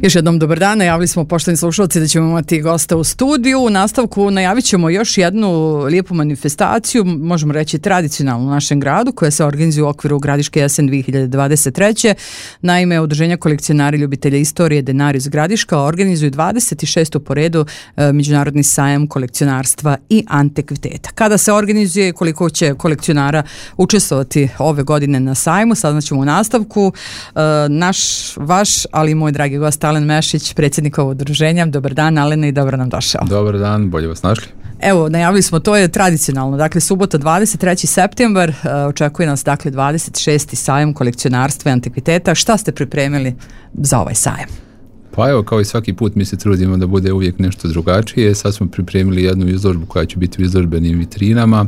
Još jednom dobar dan, najavili smo poštovani slušalci da ćemo imati gosta u studiju. U nastavku najavit ćemo još jednu lijepu manifestaciju, možemo reći tradicionalnu u našem gradu, koja se organizuje u okviru Gradiške jesen 2023. Naime, Udruženja kolekcionari ljubitelja istorije Denarius Gradiška organizuju 26. po redu Međunarodni sajam kolekcionarstva i antikviteta. Kada se organizuje i koliko će kolekcionara učestvovati ove godine na sajmu, saznaćemo u nastavku. Vaš, ali i moj dragi gost Alen Mešić, predsjednik ovog udruženja. Dobar dan, Alene, i dobro nam došao. Dobar dan, bolje vas našli. Evo, najavili smo, to je tradicionalno, dakle subota 23. septembar, očekuje nas dakle 26. sajam kolekcionarstva i antikviteta. Šta ste pripremili za ovaj sajam? Pa evo, kao i svaki put mi se trudimo da bude uvijek nešto drugačije. Sad smo pripremili jednu izložbu koja će biti u izložbenim vitrinama.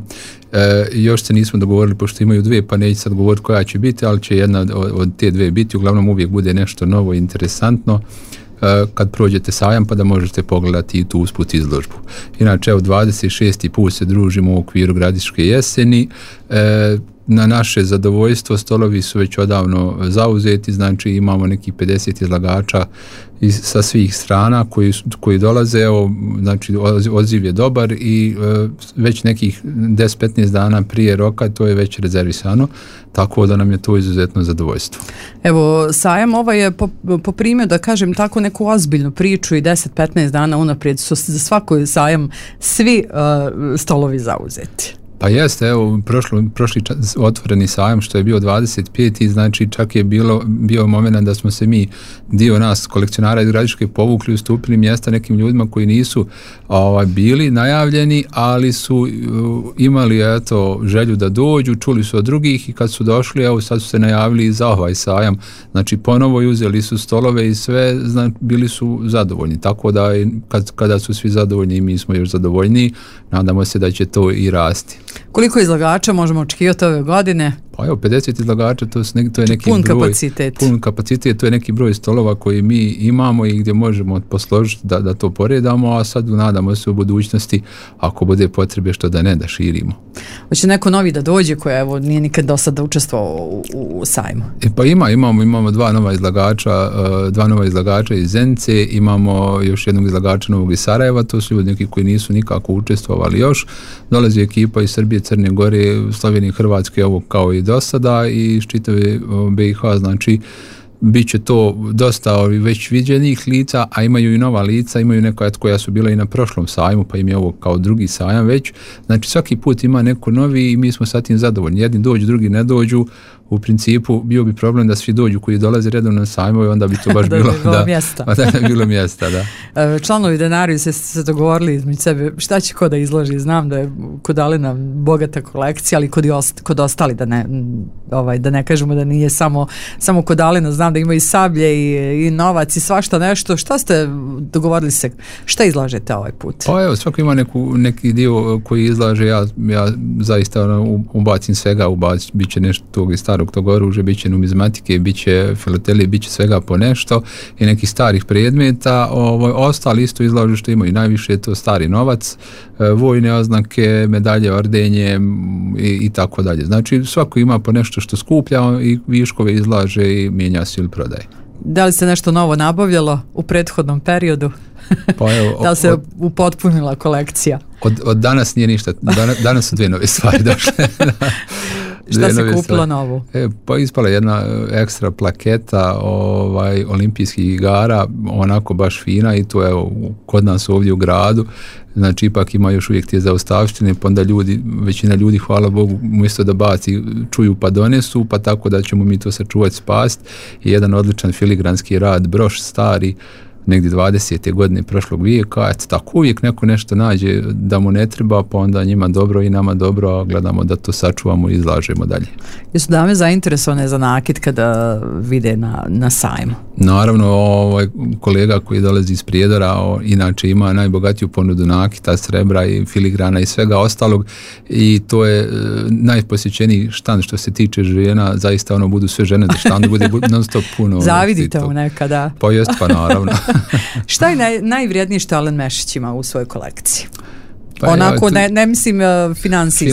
Još se nismo dogovorili, pošto imaju dvije, pa neću sad govoriti koja će biti, ali će jedna od te dvije biti. Uglavnom uvijek bude nešto novo i interesantno kad prođete sajam, pa da možete pogledati i tu usput izložbu. Inače, evo 26. put se družimo u okviru Gradiške jeseni. Na naše zadovoljstvo stolovi su već odavno zauzeti, znači imamo nekih 50 izlagača sa svih strana koji dolaze, evo, znači odziv je dobar i već nekih 10-15 dana prije roka to je već rezervisano, tako da nam je to izuzetno zadovoljstvo. Evo, sajam ovaj je poprimio, da kažem tako, neku ozbiljnu priču i 10-15 dana unaprijed su za svaki sajam svi stolovi zauzeti. Pa jeste, evo, prošli otvoreni sajam što je bio 25. znači čak je bio moment da smo se mi, dio nas kolekcionara iz Gradiške, povukli, ustupili mjesta nekim ljudima koji nisu bili najavljeni, ali su imali želju da dođu, čuli su od drugih i kad su došli, evo sad su se najavili za ovaj sajam, znači ponovo uzeli su stolove i sve, bili su zadovoljni, tako da kada su svi zadovoljni, mi smo još zadovoljniji, nadamo se da će to i rasti. Koliko izlagača možemo očekivati ove godine? Pa evo, 50 izlagača, to je neki pun broj. Kapacitet. Pun kapacitet, to je neki broj stolova koji mi imamo i gdje možemo posložiti da to poredamo, a sad nadamo se u budućnosti, ako bude potrebe, što da ne, da širimo. Hoće neko novi da dođe koja evo nije nikad do sada učestvovao u sajmu? Pa imamo dva nova izlagača iz Zenice, imamo još jednog izlagača novog iz Sarajeva, to su ljudi neki koji nisu nikako učestvovali još. Dolazi ekipa iz Srbije, Crne Gore, Slovenije, Hrvatske, ovo kao i do sada, i iz čitave BiH, znači bit će to dosta već viđenih lica, a imaju i nova lica, imaju neka koja su bila i na prošlom sajmu, pa im je ovo kao drugi sajam već, znači svaki put ima neko novi i mi smo sa tim zadovoljni, jedni dođu, drugi ne dođu. U principu bio bi problem da svi dođu koji dolaze redovno na sajmove, onda bi to baš bilo bilo mjesta, da. Članovi Denariusa se dogovorili između sebe šta će ko da izloži. Znam da je kod Alena bogata kolekcija, ali kod ostali da ne kažemo da nije samo kod Alena, znam da ima i sablje i novac i svašta nešto. Šta ste dogovorili se? Šta izlažete ovaj put? Pa evo, svako ima neki dio koji izlaže, ja zaista ubacim svega, bit će nešto tog i starog tog oružja, bit će numizmatike, bit će filatelije, bit će svega po nešto i nekih starih predmeta. Ostali isto izlažu što imaju najviše, je to stari novac, vojne oznake, medalje, ordenje i tako dalje. Znači svako ima po nešto što skuplja i viškove izlaže i mijenja se ili prodaje. Da li se nešto novo nabavljalo u prethodnom periodu? Pa evo, da li se upotpunila kolekcija? Od danas nije ništa, danas su dvije nove stvari došle. Šta se kupilo novo? Pa ispala jedna ekstra plaketa olimpijskih igara, onako baš fina, i to je kod nas ovdje u gradu. Znači ipak ima još uvijek te zaostavštine, pa onda većina ljudi, hvala Bogu, umjesto da baci, čuju pa donesu, pa tako da ćemo mi to sačuvati, spasti. I jedan odličan filigranski rad, broš stari, negdje 20. godine prošlog vijeka, tako uvijek neko nešto nađe da mu ne treba, pa onda njima dobro i nama dobro, a gledamo da to sačuvamo i izlažemo dalje. Jesu dame zainteresovane za nakit kada vide na sajmu? Naravno, kolega koji dolazi iz Prijedora inače ima najbogatiju ponudu nakita, srebra i filigrana i svega ostalog, i to je najposjećeniji štand što se tiče žena, zaista budu sve žene da štandu bude non stop puno. Zavidite mu nekada. Pa jest, pa naravno. Šta je najvrijednije što Alen Mešić ima u svojoj kolekciji? Pa onako, ne mislim financijski.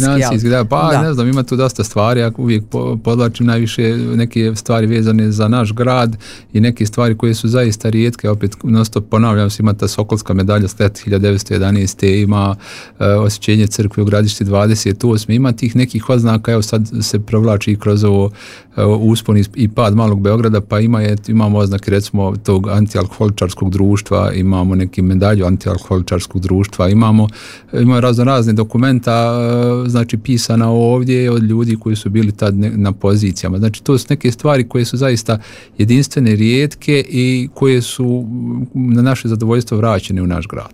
Da, ne znam, ima tu dosta stvari, ja uvijek podlačim najviše neke stvari vezane za naš grad i neke stvari koje su zaista rijetke, opet non-stop ponavljam se, ima ta Sokolska medalja Slet 1911. ima osjećenje crkve u Gradišti 28. ima tih nekih oznaka, evo sad se provlači kroz ovo uspon i pad Malog Beograda, pa imamo oznake recimo tog antialkoholičarskog društva, imamo neki medalju antialkoholičarskog društva, imamo razne dokumenta, znači pisana ovdje od ljudi koji su bili tad na pozicijama. Znači to su neke stvari koje su zaista jedinstvene, rijetke i koje su na naše zadovoljstvo vraćene u naš grad.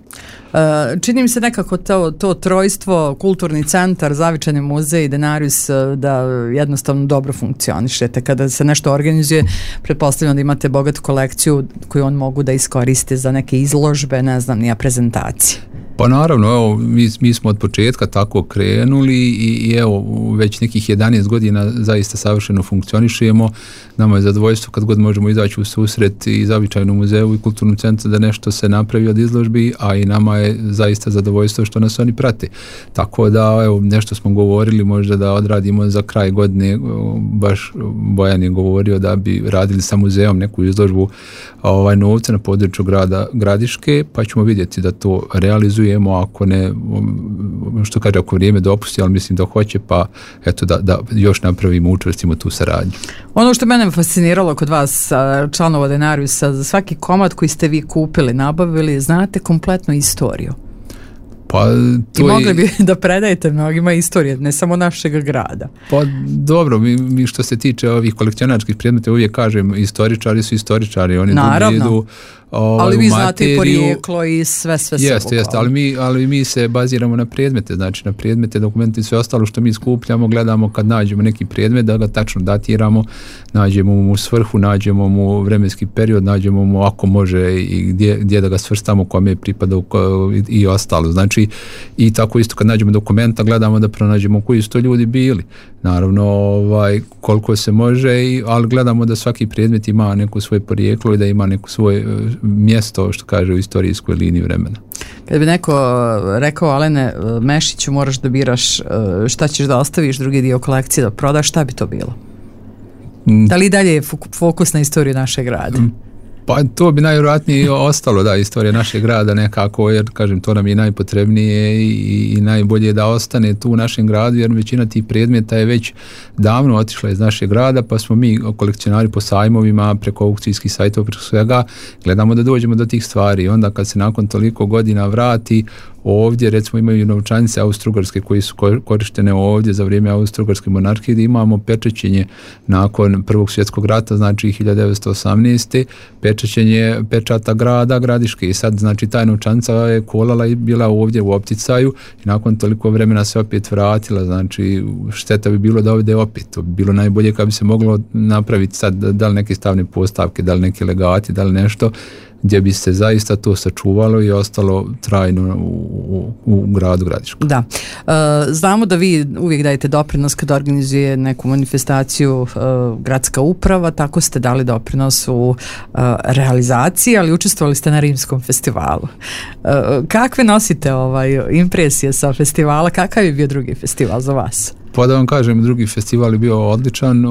Čini mi se nekako to trojstvo, kulturni centar, Zavičajni muzej i Denarius da jednostavno dobro funkcionišete. Kada se nešto organizuje, pretpostavljam da imate bogatu kolekciju koju on mogu da iskoriste za neke izložbe, ne znam, nija prezentacije. Pa naravno, evo, mi smo od početka tako krenuli i evo, već nekih 11 godina zaista savršeno funkcionišemo. Nama je zadovoljstvo kad god možemo izaći u susret i Zavičajnom muzeju i kulturnom centru da nešto se napravi od izložbi, a i nama je zaista zadovoljstvo što nas oni prate. Tako da, evo, nešto smo govorili možda da odradimo za kraj godine, baš Bojan je govorio da bi radili sa muzejom neku izložbu novca na području grada Gradiške, pa ćemo vidjeti da to realizujemo, ako ne, što kaže, ako vrijeme dopusti, ali mislim da hoće, pa eto da još napravimo, učvrstimo tu saradnju. Ono što mene fasciniralo kod vas, članova Denariusa, za svaki komad koji ste vi kupili, nabavili, znate kompletnu istoriju. Pa, i mogli bi da predajete mnogima istorije, ne samo našeg grada. Pa dobro, mi što se tiče ovih kolekcionarskih predmeta, uvijek kažem, istoričari su istoričari, oni naravno. Ali vi znate i porijeklo i sve jeste, ali mi se baziramo na predmete, znači na predmete, dokumente i sve ostalo što mi skupljamo, gledamo kad nađemo neki predmet da ga tačno datiramo, nađemo mu svrhu, nađemo mu vremenski period, nađemo mu ako može i gdje da ga svrstamo, kome je pripadao i ostalo. Znači i tako isto kad nađemo dokumenta gledamo da pronađemo koji su to ljudi bili. Naravno, koliko se može, ali gledamo da svaki predmet ima neko svoje porijeklo i da ima neko svoje mjesto, što kaže, u istorijskoj liniji vremena. Kad bi neko rekao, Alene Mešiću, moraš da biraš šta ćeš da ostaviš, drugi dio kolekcije da prodaš, šta bi to bilo? Da li dalje je fokus na istoriju našeg grada? Pa to bi najvjerojatnije ostalo, da, istorija našeg grada nekako, jer kažem, to nam je najpotrebnije i najbolje da ostane tu u našem gradu, jer većina tih predmeta je već davno otišla iz našeg grada, pa smo mi kolekcionari po sajmovima, preko aukcijskih sajtova, preko svega, gledamo da dođemo do tih stvari i onda kad se nakon toliko godina vrati, ovdje recimo imaju novčanice austrougarske koji su korištene ovdje za vrijeme austrougarske monarhije, gdje imamo pečaćenje nakon Prvog svjetskog rata, znači 1918. pečaćenje pečata grada Gradiške i sad znači ta novčanica je kolala i bila ovdje u opticaju i nakon toliko vremena se opet vratila, znači šteta bi bilo da ovdje opet, to bi bilo najbolje kad bi se moglo napraviti sad da li neke stavne postavke, da li neki legati, da li nešto gdje bi se zaista to sačuvalo i ostalo trajno u gradu Gradišku. Da. Znamo da vi uvijek dajete doprinos kad organizuje neku manifestaciju gradska uprava, tako ste dali doprinos u realizaciji, ali učestvovali ste na Rimskom festivalu. Kakve nosite impresije sa festivala? Kakav je bio drugi festival za vas? Pa da vam kažem, drugi festival je bio odličan,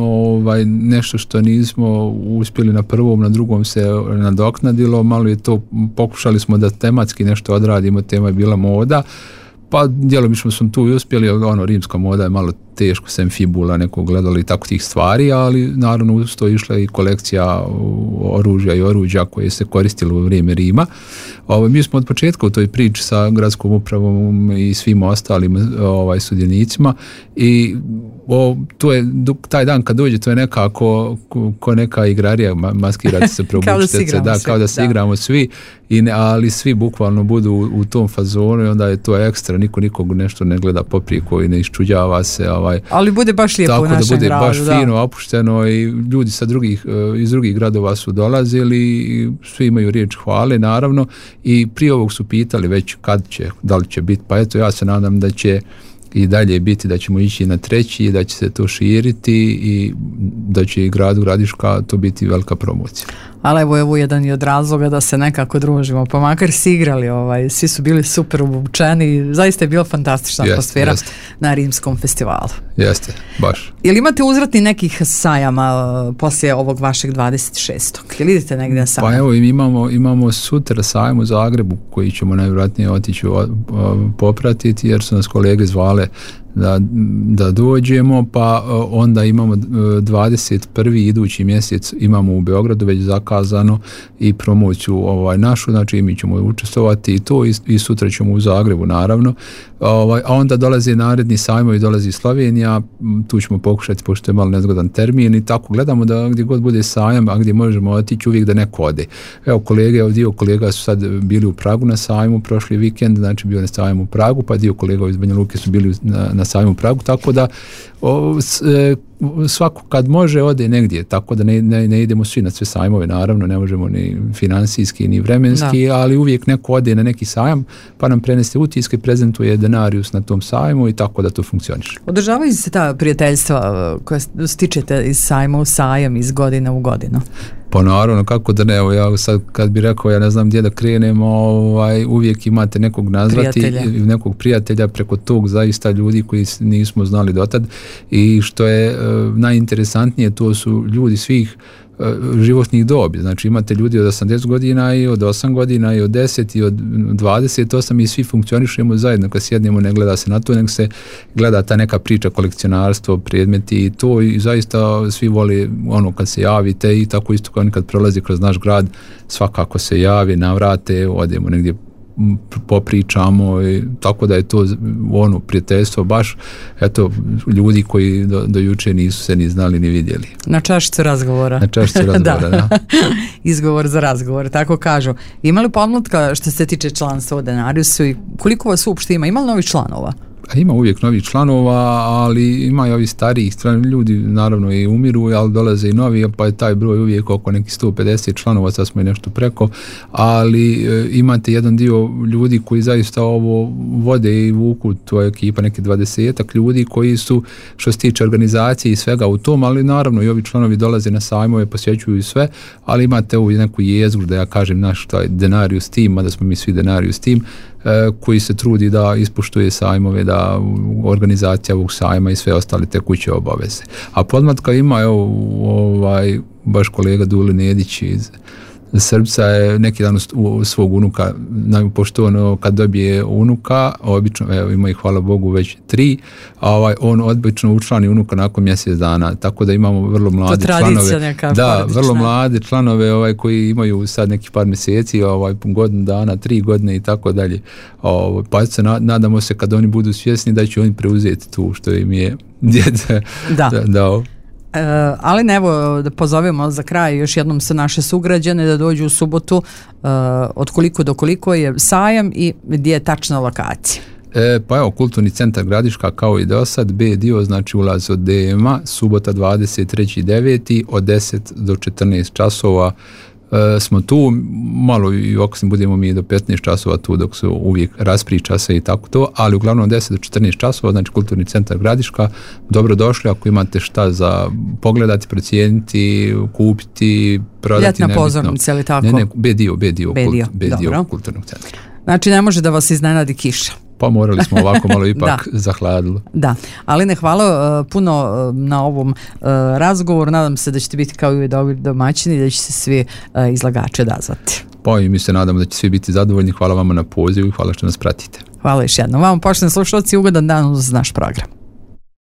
nešto što nismo uspjeli na prvom, na drugom se nadoknadilo, malo je to, pokušali smo da tematski nešto odradimo, tema je bila moda, pa djelomično smo tu i uspjeli, rimska moda je malo teško, sem fibula, nekog gledali i tako tih stvari, ali naravno uz to išla i kolekcija oružja i oruđa koje se koristilo u vrijeme Rima. Mi smo od početka u toj priči sa gradskom upravom i svim ostalim sudionicima i to je, taj dan kad dođe, to je nekako ko neka igrarija, maskirati se, probučite se, kao da se igramo svi, ali svi bukvalno budu u tom fazonu i onda je to ekstra, nikog nešto ne gleda poprijeko i ne iščuđava se. Ali bude baš lijepo u našem gradu. Tako da bude baš fino, opušteno i ljudi iz drugih gradova su dolazili i svi imaju riječ hvale, naravno, i prije ovog su pitali već kad će, da li će biti, pa eto ja se nadam da će i dalje biti, da ćemo ići na treći, da će se to širiti i da će i gradu Gradiška to biti velika promocija. Ali evo jedan i od razloga da se nekako družimo, pa makar si igrali, svi su bili super obučeni, zaista je bila fantastična atmosfera na Rimskom festivalu. Jeste, baš. Jel imate uzvratni nekih sajama poslije ovog vašeg 26. Jel idete negdje na sajam? Pa evo, imamo sutra sajam u Zagrebu koji ćemo najvjerojatnije otići popratiti jer su nas kolege zvale da dođemo, pa onda imamo 21. idući mjesec imamo u Beogradu već zakazano i promociju našu, znači mi ćemo učestvovati i to i sutra ćemo u Zagrebu naravno, a onda dolaze naredni sajmovi, dolazi Slovenija, tu ćemo pokušati pošto je malo nezgodan termin i tako gledamo da gdje god bude sajam, a gdje možemo otići uvijek da neko ode. Evo dio kolega su sad bili u Pragu na sajmu prošli vikend, znači bio na sajmu u Pragu, pa dio kolega iz Banja Luke su bili na sajmu u Pragu, tako da svako kad može ode negdje, tako da ne idemo svi na sve sajmove, naravno ne možemo ni financijski ni vremenski, ali uvijek neko ode na neki sajam pa nam prenese utiske, prezentuje denarius na tom sajmu i tako da to funkcioniše. Održavaju se ta prijateljstva koja stičete iz sajma u sajam, iz godine u godinu? Pa naravno, kako da ne, evo ja sad kad bi rekao, ja ne znam gdje da krenemo, uvijek imate nekog nazvati, nekog prijatelja preko tog zaista ljudi koji nismo znali dotad i što je najinteresantnije, to su ljudi svih životnih dobi, znači imate ljudi od 80 godina i od 8 godina i od 10 i od 28 i svi funkcionišemo zajedno, kad sjednemo ne gleda se na to, nego se gleda ta neka priča, kolekcionarstvo, predmeti i to i zaista svi vole kad se javite i tako isto kao nekad prolazi kroz naš grad, svakako se javi, navrate, odemo negdje popričamo i tako da je to prijateljstvo baš ljudi koji do juče nisu se ni znali ni vidjeli. Na čašicu razgovora. Da. Izgovor za razgovor, tako kažu. Ima li pomlatka što se tiče članstva u Denariusu i koliko vas uopšte ima? Ima li novih članova? Ima uvijek novih članova, ali ima i ovih starijih ljudi, naravno i umiru, ali dolaze i novi, pa je taj broj uvijek oko nekih 150 članova, sad smo i nešto preko, ali imate jedan dio ljudi koji zaista ovo vode i vuku, to je ekipa neki 20-ak ljudi koji su, što se tiče organizacije i svega u tom, ali naravno i ovi članovi dolaze na sajmove, posjećuju i sve, ali imate ovu neku jezgru, da ja kažem naš taj Denarius team, mada smo mi svi Denarius team, koji se trudi da ispoštuje sajmove, da organizacija ovog sajma i sve ostale tekuće obaveze. A podmlatka ima baš kolega Dule Nedić iz Srbca je neki dan u svog unuka, pošto kad dobije unuka, obično, ima ih hvala Bogu već 3, a on obično učlani unuka nakon mjesec dana, tako da imamo vrlo mlade članove. Vrlo mlade članove koji imaju sad nekih par mjeseci, godinu dana, 3 godine i tako dalje. Pa se nadamo se kad oni budu svjesni da će oni preuzeti tu što im je djed dao. Ali evo da pozovemo za kraj još jednom sa naše sugrađane da dođu u subotu, od koliko do koliko je sajam i gdje je tačna lokacija. Pa evo, Kulturni centar Gradiška kao i do sad, B dio, znači ulaz od DM-a, subota 23.9. od 10 do 14 časova smo tu, malo i ako se budemo mi do 15 časova tu dok se uvijek raspriča se i tako to, ali uglavnom 10 do 14 časova, znači Kulturni centar Gradiška, dobrodošli ako imate šta za pogledati, procijeniti, kupiti, prodati. Ljetna pozornica ili tako? Ne, B dio Kulturnog centra. Znači ne može da vas iznenadi kiša. Pa morali smo ovako malo ipak zahladilo. Da, ali hvala puno na ovom razgovoru, nadam se da ćete biti kao i dobri domaćini i da će se svi izlagači odazvati. Pa i mi se nadamo da će svi biti zadovoljni, hvala vama na pozivu i hvala što nas pratite. Hvala još jednom. Vama poštovani slušalci, ugodan dan uz naš program.